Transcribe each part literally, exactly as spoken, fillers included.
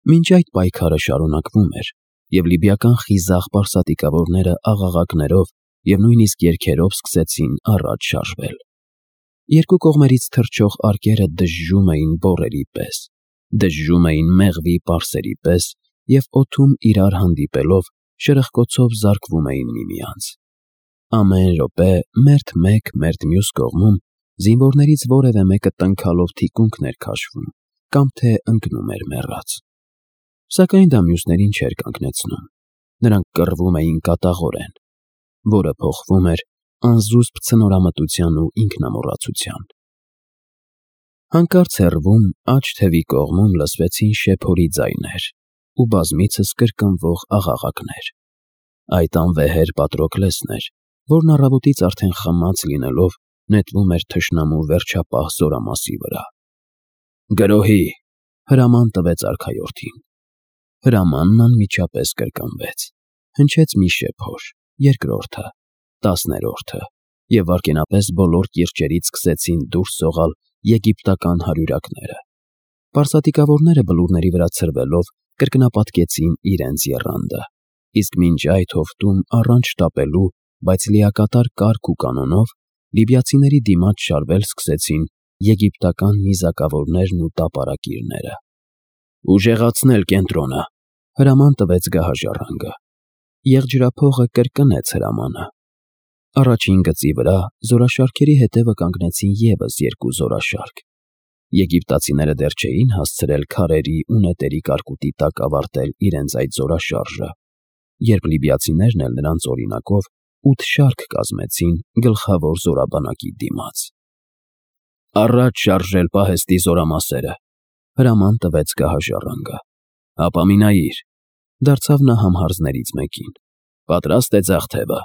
Մինչ այդ պայքարը շարունակվում էր, և լիբիական խիզախ պարսատիկավորները աղաղակներով և նույնիսկ երգերով սկսեցին առաջ շարժվել։ Երկու կողմերից թռչող արկերը դժժում էին բոռերի պես, դժժում էին մեղվի պարսերի պես և օդում իրար հանդիպելով շրխկոցով զարկվում էին միմյանց։ Ամեն րոպե մերթ մեկ, մերթ մյուս կողմում զինվորներից որևէ մեկը տնքալով թիկունքն էր քաշվում կամ թե ընկնում էր մեռած։ Սակայն դա մյուսներին չէր կանգնեցնում. նրանք կռվում էին կատաղորեն, որը փոխվում էր անզուսպ ցնորամտության ու ինքնամոռացության։ Հանկարծ հեռվում աջ թևի կողմում լսվեցին շեփորի ձայներ ու բազմիցս կրկնվող աղաղակներ։ Այդ անվեհեր Պատրոկլեսն էր, որն առավոտից արդեն խմած լինելով նետվում էր թշնամու վերջապահ զորամասի վրա։ «Գրոհի», հրաման տվեց արքայորդին։ Հրամանն անմիջապես կրկնվեց։ Հնչեց մի շեփոր, երկրորդը, տասներորդը, և վայրկենապես բոլոր կիրճերից սկսեցին դուրս սողալ եգիպտական հարյուրակները։ Պարսատիկավորները բլուրների վրա ցրվելով կրկնապատկեցին իրենց եռանդը, իսկ մինչ այդ հովտում առանց շտապելու, բայց լիակատար կարգ ու կանոնով լիբիացիների դիմաց շարվել սկսեցին եգիպտական նիզակավորներն ու տապարակիրները։ «Ուժեղացնել կենտրոնը», հրաման տվեց գահաժառանգը։ Եղջյուրափողը կրկնեց հրամանը։ Առաջին գծի վրա զորաշարքերի հետևը կանգնեցին ևս երկու զորաշարք։ Եգիպտացիները դեռ չէին հասցրել քարերի ու նետերի կարկուտի տակ ավարտել իրենց այդ զորաշարժը, երբ լիբիացիներն էլ նրանց օրինակով ութ շարք կազմեցին գլխավոր զորաբանակի դիմաց։ «Առաջ շարժել պահեստի զորամասերը», հրաման տվեց գահաժառանգը։ «Ապամինայիր», դարձավ նա համհարձներից մեկին։ «Պատրաստ է ձախ թևը»։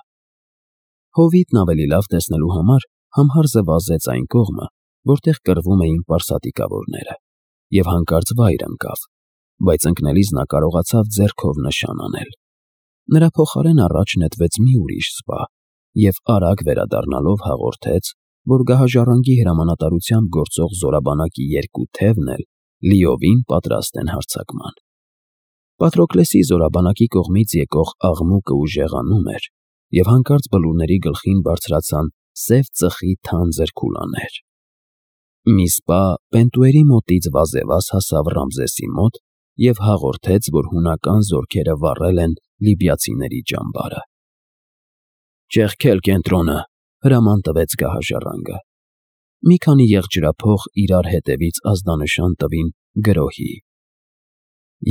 Հովիտն ավելի լավ տեսնելու համար համհարձը վազեց այն կողմը, որտեղ կռվում էին պարսատիկավորները, և հանկարծ վայր ընկավ, բայց ընկնելիս նա կարողացավ ձեռքով նշան անել։ Նրա փոխարեն առաջ նետվեց մի ուրիշ սպա և արագ վերադառնալով հաղորդեց, որ գահաժառանգի հրամանատարությամբ գործող զորաբանակի երկու թևն էլ լիովին պատրաստ են հարձակման։ Պատրոկլեսի զորաբանակի կողմից եկող աղմուկը ուժեղանում էր, և հանկարծ բլուրների գլխին բարձրացան սև ծխի թանձր քուլաներ։ Մի սպա Պենտուերի մոտից վազևազ հասավ Ռամզեսի մոտ և հաղորդեց, որ հունական զորքերը վառել են լիբիացիների ճամբարը։ «Ճեղքել կենտրոնը», հրաման տվեց գահաժառանգը։ Մի քանի եղջյուրափող իրար հետևից ազդանշան տվին «գրոհի»։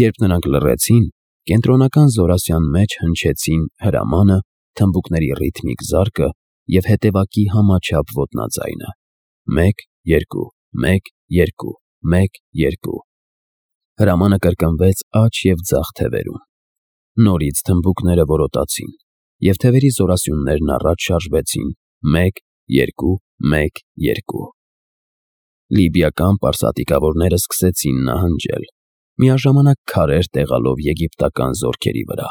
Երբ նրանք լռեցին, կենտրոնական զորասյան մեջ հնչեցին հրամանը, թմբուկների ռիթմիկ զարկը և հետևակի համաչափ ոտնաձայնը. «Մեկ, երկու, մեկ, երկու, մեկ, երկու»։ Հրամանը կրկնվեց աջ և ձախ թևերում։ Նորից թմբուկները որոտացին, և թևերի զորասյուններն առաջ շարժվեցին. մեկ, երկու, մեկ, երկու։ Լիբիական պարսատիկավորները սկսեցին նահանջել, միաժամանակ քարեր տեղալով եգիպտական զորքերի վրա։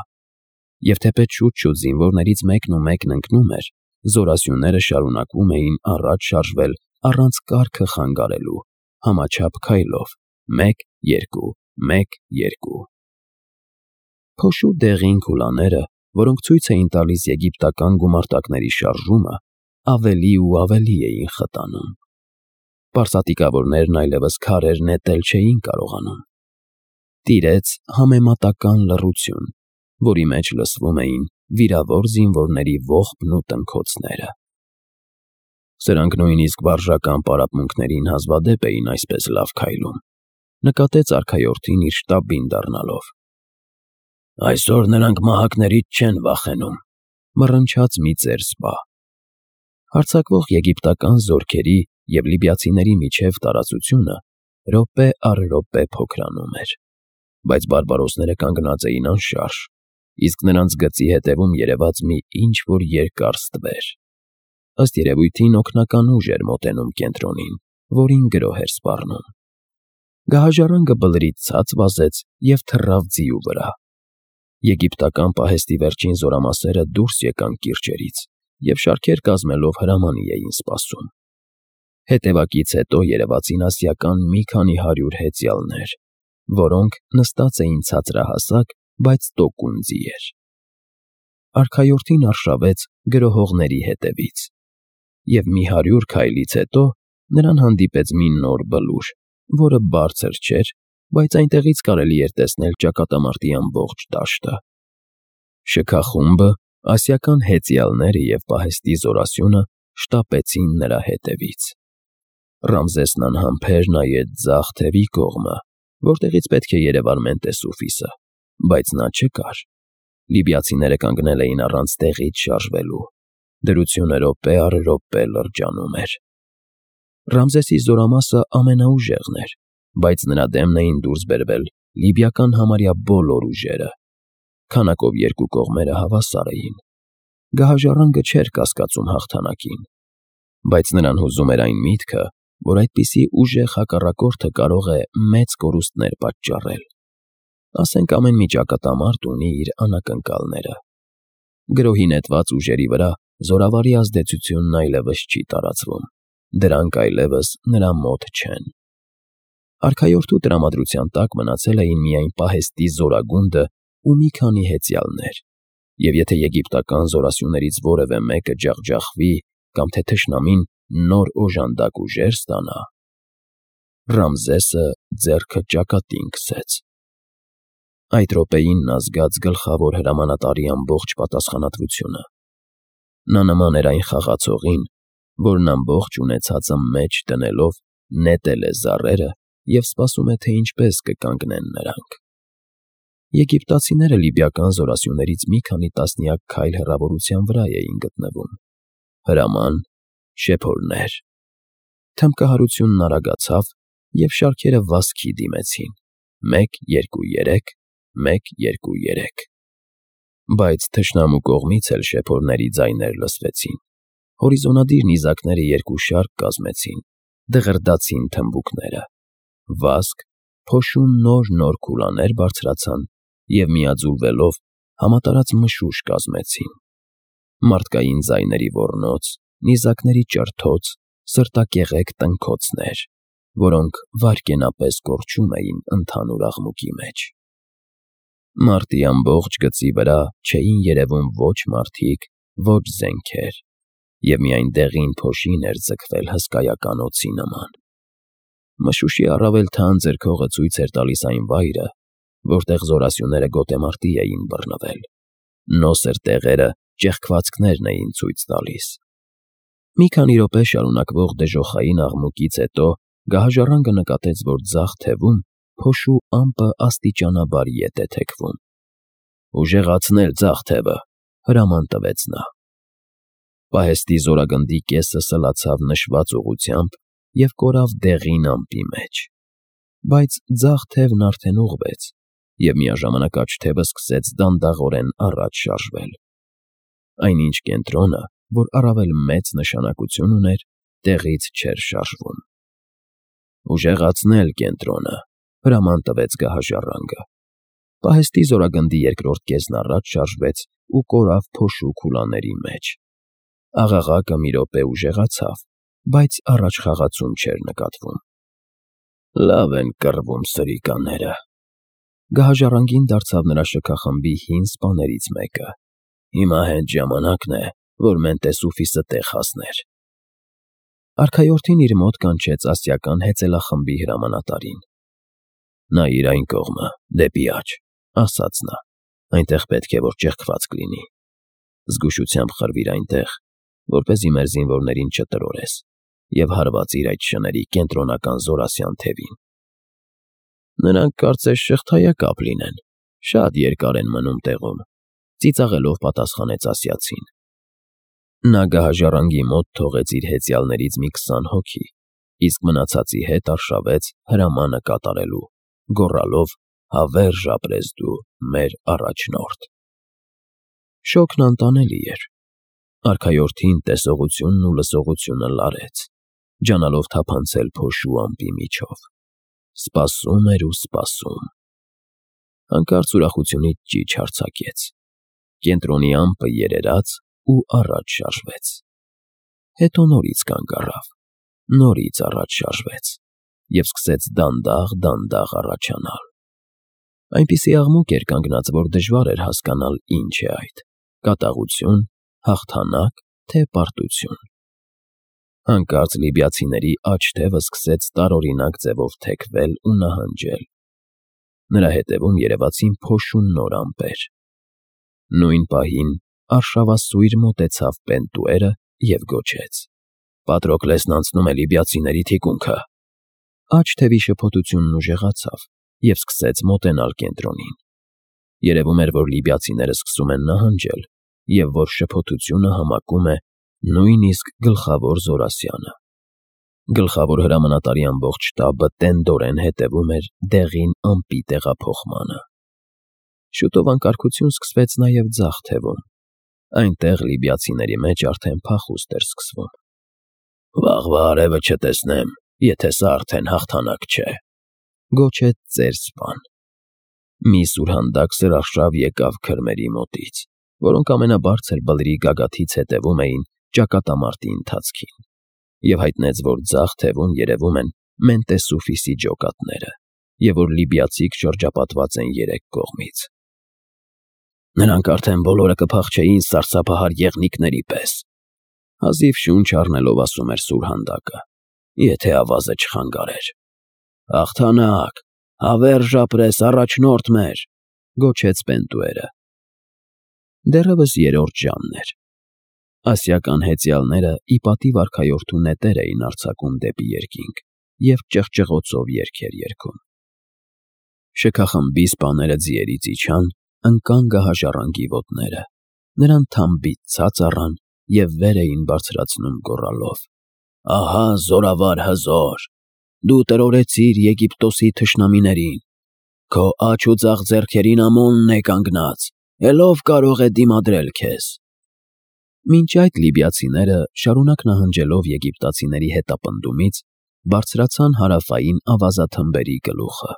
Եվ թեպետ շուտ-շուտ զինվորներից մեկն ու մեկն ընկնում էր, զորասյունները շարունակում էին առաջ շարժվել առանց կարգը խանգարելու, համաչափ քայլով. մեկ, երկու, մեկ, երկու։ Փոշու դեղին քուլաները, որոնք ցույց էին տալիս եգիպտական գումարտակների շարժումը, ավելի ու ավելի էին խտանում։ Պարսատիկավորներն այլևս քարեր նետել չէին կարողանում։ Տիրեց համեմատական լռություն, որի մեջ լսվում էին վիրավոր զինվորների ողբն ու տնքոցները։ «Սրանք նույնիսկ վարժական պարապմունքներին հազվադեպ էին այսպես լավ քայլում», նկատեց արքայորդին իր շտաբին դառնալով։ «Այսօր նրանք մահակներից չեն վախենում», մռնչաց մի ծեր սպա։ Հարձակվող եգիպտական զորքերի և լիբիացիների միջև տարածությունը րոպե առ րոպե փոքրանում էր, բայց բարբարոսները կանգնած էին անշարժ, իսկ նրանց գծի հետևում երևաց մի ինչ֊որ երկար ստվեր։ Ըստ երևույթին օգնական ուժ էր մոտենում կենտրոնին, որին գրոհ էր սպառնում։ Գահաժառանգը բլրից ցած վազեց և թռավ ձիու վրա։ Եգիպտական պահեստի վերջին զորամասերը դուրս եկան կիրճերից և շարքեր կազմելով հրամանի էին սպասում։ Հետևակից հետո երևացին ասիական մի քանի հարյուր հեծյալներ, որոնք նստած էին ցածրահասակ, բայց տոկուն ձիեր։ Արքայորդին արշավեց գրոհողների հետևից, և մի հարյուր քայլից հետո նրան հանդիպեց մի նոր բլուր, որը բարձր չէր, բայց այնտեղից կարելի էր տեսնել ճակատամարտի ամբողջ դաշտը։ Շքախումբը, ասիական հեծյալները և պահեստի զորասյունը շտապեցին նրա հետևից։ Ռամզեսն անհամբեր նայեց ձախ թևի կողմը, որտեղից պետք է երևար Մենտեսուֆիսը, բայց նա չկար։ Լիբիացիները կանգնել էին առանց տեղից շարժվելու։ Դրությունը րոպե առ րոպե լրջանում էր։ Ռամզեսի զորամասը ամենաուժեղն էր, բայց նրա դեմն էին դուրս բերվել լիբիական համարյա բոլոր ուժերը։ Քանակով երկու կողմերը հավասար էին։ Գահաժառանգը չէր կասկածում հաղթանակին, բայց նրան հուզում էր այն միտքը, որ այդպիսի ուժեղ հակառակորդը կարող է մեծ կորուստներ պատճառել։ Ասենք ամեն մի ճակատամարտ ունի իր անակնկալները։ Գրոհի նետված ուժերի վրա զորավարի ազդեցությունն այլևս չի տարածվում, դրանք այլևս նրա մոտ չեն։ Արքայորդու տրամադրության տակ մնացել էին միայն պահեստի զորագունդը ու մի քանի հեծյալներ, և եթե եգիպտական զորասյուներից որևէ մեկը ջախջախվի կամ թե թշնամին նոր օժանդակ ուժեր ստանա… Ռամզեսը ձեռքը ճակատին քսեց։ Այդ րոպեին նա զգաց գլխավոր հրամանատարի ամբողջ պատասխանատվությունը։ Նա նման էր այն խաղացողին, որն ամբողջ ունեցածը մեջ դնելով նետել է զառերը և սպասում է, թե ինչպես կկանգնեն նրանք։ Եգիպտացիները լիբիական զորասյուներից մի քանի տասնյակ քայլ հեռավորության վրա էին գտնվում։ Հրաման, շեփորներ… Թմբկահարությունն արագացավ, և շարքերը վազքի դիմեցին. մեկ, երկու, երեք, մեկ, երկու, երեք… Բայց թշնամու կողմից էլ շեփորների ձայներ լսվեցին։ Հորիզոնադիր նիզակները երկու շարք կազմեցին, դղրդացին թմբուկները։ Վազք, փոշու նոր-նոր քուլաներ բարձրացան և միաձուլվելով համատարած մշուշ կազմեցին։ Մարդկային ձայների ոռնոց, նիզակների ճրթոց, սրտակեղեք տնքոցներ, որոնք վայրկենապես կորչում էին ընդհանուր աղմուկի մեջ։ Մարտի ամբողջ գծի վրա չէին երևում ոչ մարդիկ, ոչ զենքեր, և միայն դեղին փոշին էր ձգվել հսկայական օձի նման։ Մշուշի առավել թանձր քողը ցույց էր տալիս այն վայրը, որտեղ զորասյուները գոտեմարտի էին բռնվել։ Նոսր տեղերը ճեղքվածքներն էին ցույց տալիս։ Մի քանի րոպե շարունակվող դժոխային աղմուկից հետո գահաժառանգը նկատեց, որ ձախ թևում փոշու ամպը աստիճանաբար ետ է թեքվում։ «Ուժեղացնել ձախ թևը», հրաման տվեց նա։ Պահեստի զորագնդի կեսը սլացավ նշված ուղղությամբ և կորավ դեղին ամպի մեջ։ Բայց ձախ թևն արդեն ուղղվեց, և միաժամանակ աջ թևը սկսեց դանդաղորեն առաջ շարժվել։ Այնինչ կենտրոնը, որ առավել մեծ նշանակություն ուներ, տեղից չէր շարժվում։ «Ուժեղացնել կենտրոնը», հրաման տվեց գահաժառանգը։ Պահեստի զորագնդի երկրորդ կեսն առաջ շարժվեց ու կորավ փոշու քուլաների մեջ։ Աղաղակը մի րոպե ուժեղացավ, բայց առաջխաղացում չէր նկատվում։ «Լավ են կռվում սրիկաները», գահաժառանգին դարձավ նրա շքախմբի հին սպաներից մեկը։ «Հիմա հենց ժամանակն է, որ Մենտեսուֆիսը տեղ հասներ»։ Արքայորդին իր մոտ կանչեց ասիական հեծելախմբի հրամանատարին։ «Նայիր այն կողմը, դեպի աջ», ասաց նա, «այնտեղ պետք է որ ճեղքվածք լինի։ Զգուշությամբ խրվիր այնտեղ, որպեսզի մեր զինվորներին չտրորես, և հարվածիր այդ շների կենտրոնական զորասյան թևին»։ «Նրանք կարծես շղթայակապ լինեն, շատ երկար են մնում տեղում», ծիծաղելով պատասխանեց ասիացին։ Նա գահաժառանգի մոտ թողեց իր հեծյալներից մի քսան հոգի, իսկ մնացածի հետ արշավեց հրամանը կատարելու, գոռալով. «Հավերժ ապրես դու, մեր առաջնորդ»։ Շոգն անտանելի էր։ Արքայորդին տեսողությունն ու լսողությունը լարեց, ջանալով թափանցել փոշու ամպի միջով։ Սպասում էր ու սպասում։ Հանկարծ ուրախությունից ճիչ արձակեց։ Կենտրոնի ամպը երերաց ու առաջ շարժվեց։ Հետո նորից կանգ առավ, նորից առաջ շարժվեց և սկսեց դանդաղ֊դանդաղ առաջանալ։ Այնպիսի աղմուկ էր կանգնած, որ դժվար էր հասկանալ ինչ է այդ. կատաղություն, հաղթանակ, թե պարտություն։ Հանկարծ լիբիացիների աջ թևը սկսեց տարօրինակ ձևով թեքվել ու նահանջել։ Նրա հետևում երևացին փոշու նոր ամպեր։ Նույն պահին արշավասույր մոտեցավ Պենտուերը և գոչեց. «Պատրոկլեսն անցնում է լիբիացիների թիկունքը»։ Աջ թևի շփոթությունն ուժեղացավ և սկսեց մոտենալ կենտրոնին։ Երևում էր, որ լիբիացիները սկսում են նահանջել և որ շփոթությունը համակում է նույնիսկ գլխավոր Զորասյանը։ Գլխավոր հրամանատարի ամբողջ շտաբը տենդորեն հետևում էր դեղին ամպի տեղափոխմանը։ Շուտով անկարգություն սկսվեց նաև ձախ թևում։ Այնտեղ լիբիացիների մեջ արդեն փախուստ էր սկսվում։ «Վաղվա արևը չտեսնեմ, եթե սա արդեն հաղթանակ չէ», գոչեց ծեր սպան։ Մի սուրհանդակ սրարշավ եկավ քրմերի մոտից, որոնք ամենաբարձր բլրի գագաթից հետևում էին ճակատամարտի ընթացքին, և հայտնեց, որ ձախ թևում երևում են Մենտեսուֆիսի ջոկատները, և որ լիբիացիք շրջապատված են երեք կողմից։ «Նրանք արդեն բոլորը կփախչեին սարսափահար եղնիկների պես», հազիվ շունչ առնելով ասում էր սուրհանդակը, եթե ավազը չխանգարեր։ «Հաղթանակ, հավերժ ապրես, առաջնորդ մեր», գոչեց Պենտուերը։ Դեռևս երրորդ ժամն էր։ Ասիական հեծյալները ի պատիվ արքայորդու նետեր էին արձակում դեպի երկինք և ճղճղոցով երգեր երգում։ Շքախմբի սպաները ձիերից իջան, ընկան գահաժառանգի ոտները, նրան թամբից ցած առան և վեր էին բարձրացնում գոռալով. «Ահա զորավար հզոր, դու տրորեցիր Եգիպտոսի թշնամիներին, քո աջ ու ձախ ձեռքերին Ամոնն է կանգնած, էլ ով կարող է դիմադրել քեզ»։ Մինչ այդ լիբիացիները, շարունակ նահանջելով եգիպտացիների հետապնդումից, բարձրացան հարավային ավազաթմբերի գլուխը։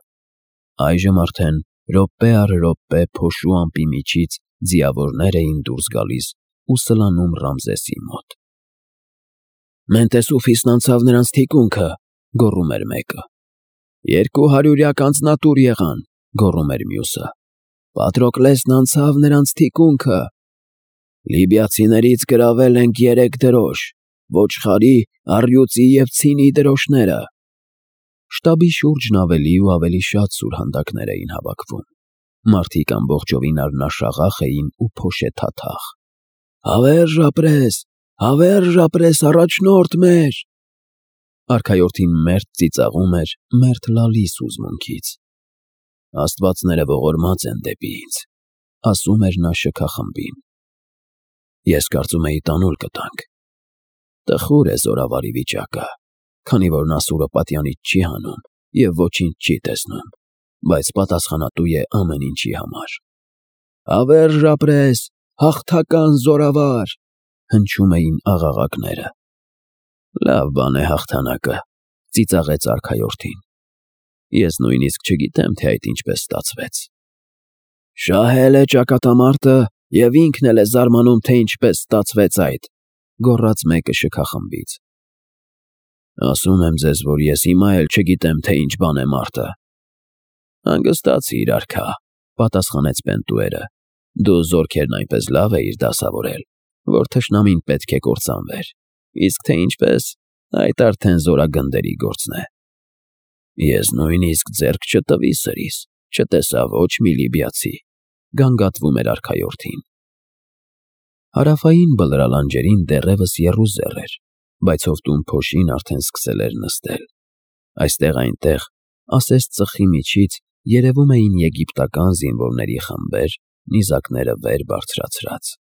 Այժմ արդեն րոպե առ րոպե փոշու ամպի միջից ձիավորներ էին դուրս գալիս ու սլանում Ռամզեսի մոտ։ «Մենտեսուֆիսն անցավ նրանց թիկունքը», գոռում էր մեկը։ «Երկու հարյուրյակ անձնատուր եղան», գոռում էր մյուսը։ «Պատրոկլեսն անցավ նրանց թիկունքը։ Լիբիացիներից գրավել ենք երեք դրոշ՝ ոչխարի, առյուծի և ցինի դրոշները»։ Շտաբի շուրջն ավելի ու ավելի շատ սուրհանդակներ էին հավաքվում։ Մարդիկ ամբողջովին առնաշաղախ էին ու փոշեթաթախ։ «Հավերժ ապրես, հավերժ ապրես, առաջնորդ մեր»։ Արքայորդին մերթ ծիծաղում էր, մերթ լալիս հուզմունքից։ «Աստվածները ողորմած են դեպի ինձ», ասում էր նա շքախմբին։ «Ես կարծում էի տանուլ կտանք»։ Տխուր է զորավարի վիճակը, քանի որ նա Սուրոպատյանից չի հանում և ոչինչ չի տեսնում, բայց պատասխանատու է ամեն ինչի համար։ «Հավերժ ապրես, հաղթական զորավար», հնչում էին աղաղակները։ «Լավ բան է հաղթանակը», ծիծաղեց արքայորդին։ «Ես նույնիսկ չգիտեմ, թե այդ ինչպես ստացվեց»։ «Շահել է ճակատամարտը և ինքն էլ է զարմանում, թե ինչպես ստացվեց այդ», գոռաց մեկը շքախմբից։ «Ասում եմ ձեզ, որ ես հիմա էլ չգիտեմ, թե ինչ բան է մարտը»։ «Հանգստացիր, արքա», պատասխանեց Պենտուերը։ «Դու զորքերն այնպես լավ էիր դասավորել, որ թշնամին պետք է կործանվեր, իսկ թե ինչպես, այդ արդեն զորագնդերի գործն է»։ «Ես նույնիսկ ձեռք չտվի սրիս, չտեսա ոչ մի լիբիացի», գանգատվում էր արքայորդին։ Հարավային բլրալանջերին դեռևս եռուզեռ էր, բայց հովտում փոշին արդեն սկսել էր նստել։ Այստեղ-այնտեղ, ասես ծխի միջից, երևում էին եգիպտական զինվորների խմբեր, նիզակները վեր բարձրացրած։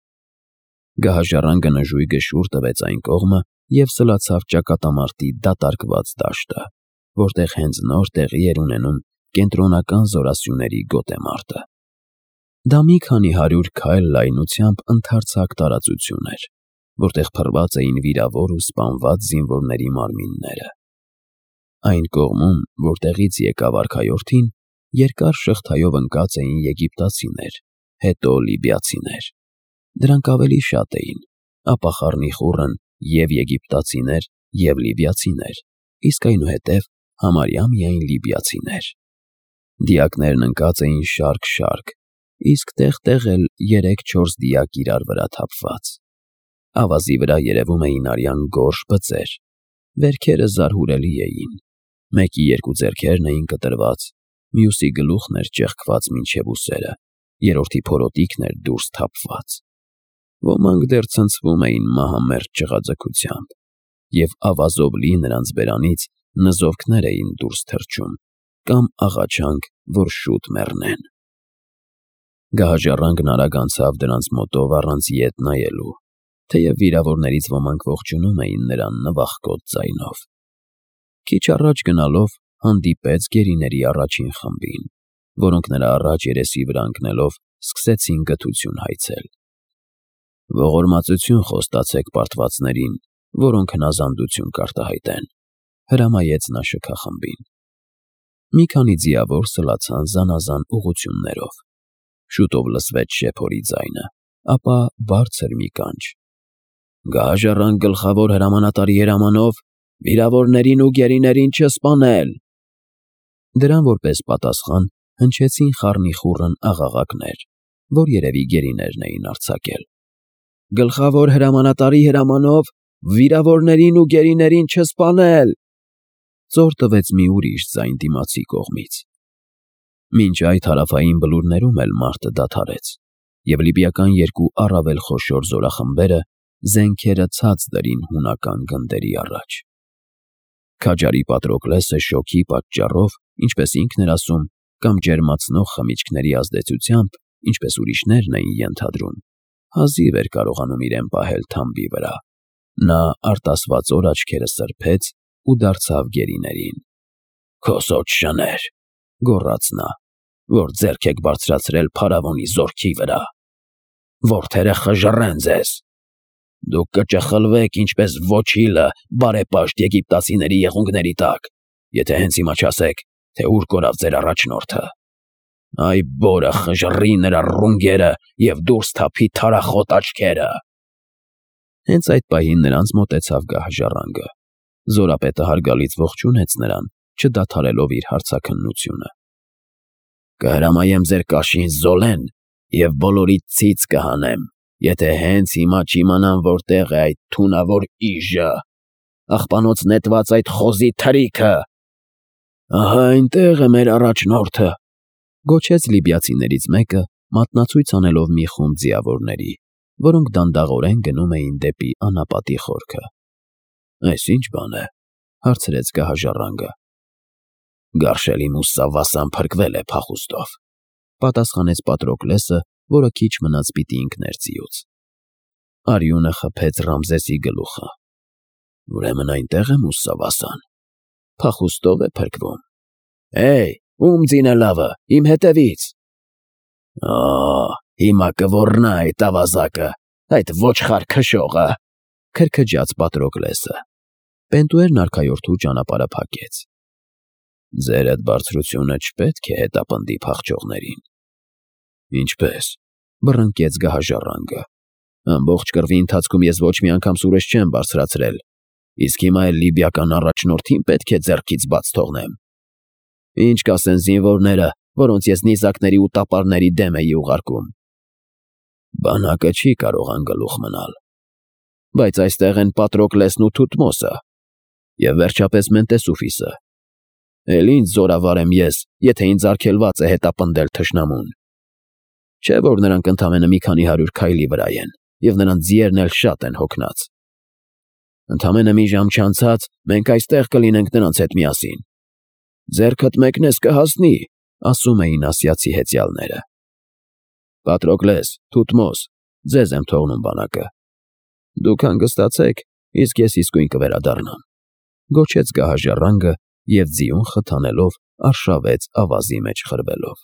Գահաժառանգը նժույգը շուռ տվեց այն կողմը և սլացավ ճակատամարտի դատարկված դաշտը, որտեղ հենց նոր տեղի էր ունենում կենտրոնական զորասյուների գոտեմարտը։ Դա մի քանի հարյուր քայլ լայնությամբ ընդարձակ տարածություն էր, որտեղ փռված էին վիրավոր ու սպանված զինվորների մարմինները։ Այն կողմում, որտեղից եկավ արքայորդին, երկար շղթայով ընկած էին եգիպտացիներ, հետո լիբիացիներ։ Դրանք ավելի շատ էին, ապա խառնիխուռն և՛ եգիպտացիներ, և՛ լիբիացիներ, իսկ այնուհետև համարյա միայն լիբիացիներ։ Դիակներն ընկած էին շարք-շարք, իսկ տեղ-տեղ էլ երեք-չորս դիակ իրար վրա թափված։ Ավազի վրա երևում էին արյան գորշ բծեր, վերքերը զարհուրելի էին, մեկի երկու ձեռքերն էին կտրված, մյուսի գլուխն էր ճեղքված մինչև ուսերը, երրորդի փորոտիքն էր դուրս թափված։ Ոմանք դեռ ցնցվում էին մահամերձ ճղաձգությամբ, և ավազով լի նրանց բերանից նզովքներ էին դուրս թռչում կամ աղաչանք, որ շուտ մեռնեն։ Գահաժառանգն արագ անցավ դրանց մոտով առանց ետ նայելու, թեև վիրավորներից ոմանք ողջունում էին նրան նվախկոտ ձայնով։ Քիչ առաջ գնալով հանդիպեց գերիների առաջին խմբին, որոնք նրա առաջ երեսի վրա ընկնելով սկսեցին գթություն հայցել։ «Ողորմածություն խոստացեք պարտվածներին, որոնք հնազանդություն կարտահայտեն», հրամայեց նա շքախմբին։ Մի քանի ձիավոր սլացան զանազան ուղղություններով։ Շուտով լսվեց շեփորի ձայնը, ապա բարձր մի կանչ. «Գահաժառանգ գլխավոր հրամանատարի հրամանով վիրավորներին ու գերիներին չսպանել»։ Դրան որպես պատասխան հնչեցին խառնիխուռն աղաղակներ, որ երևի գերիներն էին արձակել։ «Գլխավոր հրամանատարի հրամանով վիրավորներին ու գերիներին չսպանել»։ Ծոր տվեց մի ուրիշ ձայն դիմացի կողմից։ Մինչ այդ հարավային բլուրներում էլ մարտը դադարեց, և լիբիական երկու առավել խոշոր զորախմբերը զենքերը ցած դրին հունական գնդերի առաջ։ Քաջարի Պատրոկլեսը շոգի պատճառով, ինչպես ինքն էր ասում, կամ ջերմացնող խմիչքների ազդեցությամբ, ինչպես ուրիշներն էին ենթադրում, հազիվ էր կարողանում իրեն պահել թամբի վրա։ Նա արտասվածոր աչքերը սրբեց ու դարձավ գերիներին։ «Քոսոտ շներ», գոռաց նա, «որ ձեռք եք բարձրացրել փարավոնի զորքի վրա, որդերը խժռեն ձեզ։ Դուք կճխլվեք ինչպես ոչիլը բարեպաշտ եգիպտացիների եղունգների տակ, եթե հենց հիմա չասեք, թե ուր կորավ ձեր առաջնորդը։ Այ բորը խժռի նրա ռունգերը և դուրս թափի թարախոտ աչքերը»։ Հենց այդ պահին նրանց մոտեցավ գահաժառանգը։ Զորապետը հարգալից ողջունեց նրան, չդադարելով իր հարցաքննությունը։ «Կհրամայեմ ձեր կաշին զոլեն և բոլորիդ ցից կհանեմ, եթե հենց հիմա չիմանամ որտեղ է այդ թունավոր իժը, աղբանոց նետված այդ խոզի թրիքը»։ «Ահա այնտեղ է մեր առաջնորդը», գոչեց լիբիացիներից մեկը, մատնացույց անելով մի խումբ ձիավորների, որոնք դանդաղորեն գնում էին դեպի անապատի խորքը։ «Այս ի՞նչ բան է», հարցրեց գահաժառանգը։ «Գարշելի Մուսավասան փրկվել է փախուստով», պատասխանեց Պատրոկլեսը, որը քիչ մնաց պիտի ընկներ ձիուց։ Արյունը խփեց Ռամզեսի գլուխը։ «Ուրեմն այնտեղ է Մուսավասան, փախուստով է փրկվում։ Հեյ, ում ձինը լավը, իմ հետևից»։ «Ա, հիմա կոռնա այդ ավազակը, այդ ոչխար քշողը», քրքջաց Պատրոկլեսը։ Պենտուերն արքայորդու ճանապարհը փակեց։ «Ձեր այդ բարձրությունը չպետք է հետապնդի փախչողներին»։ «Ինչպես», բռնկեց գահաժառանգը։ «Ամբողջ կռվի ընթացքում ես ոչ մի անգամ սուրես չեմ բարձրացրել, իսկ հիմա էլ լիբիական առաջնորդին պետք է ձեռքից բաց թողնեմ։ Ինչ կասեն զինվորները, որոնց ես նիզակների ու տապարների դեմ էի ուղարկում»։ «Բանակը չի կարող անգլուխ մնալ, բայց այստեղ են Պատրոկլեսն ու Թութմոսը, և վերջապես Մենտեսուֆիսը։ Էլ ինչ զորավար եմ ես, եթե ինձ արգելված է հետապնդել թշնամուն։ Չէ՞ որ նրանք ընդամենը մի քանի հարյուր քայլի վրա են, և նրանց ձիերն էլ շատ են հոգնած։ Ընդամենը մի ժամ չանցած մենք այստեղ կլինենք նրանց հետ միասին։ Ձեռքդ մեկնես կհասնի, ասում էին ասիացի հեծյալները։ Պատրոկլես, Թութմոս, ձեզ եմ թողնում բանակը։ Դուք հանգստացեք, իսկ ես իսկույն կվերադառնամ, գոչեց գահաժառանգը և ձիուն խթանելով արշավեց ավազի մեջ խրվելով։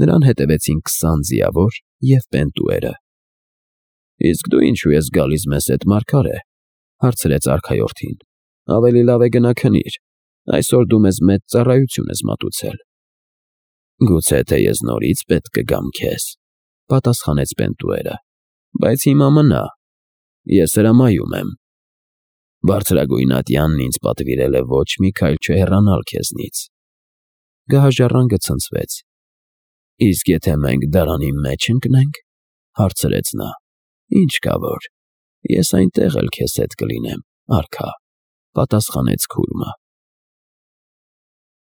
Նրան հետևեցին քսան ձիավոր և Պենտուերը։ «Իսկ դու ինչու ես գալիս մեզ հետ, մարգարե», հարցրեց արքայորդին։ «Ավելի լավ է գնա քնիր, այսօր դու մեզ մեծ ծառայություն ես մատուցել»։ «Գուցե թե ես նորից պետք կգամ քեզ», պատասխանեց Պենտուերը, «բայց հիմա մնա, ես հրամայում եմ։ Բարձրագույն ատյանն ինձ պատվիրել է ոչ մի քայլ չհեռանալ քեզնից»։ Գահաժառանգը ցնցվեց։ ֊ Իսկ եթե մենք դարանի մեջ ընկնե՞նք,֊ հարցրեց նա։ ֊ Ինչ կա որ, ես այնտեղ էլ քեզ հետ կլինեմ, արքա,֊ պատասխանեց քուրմը։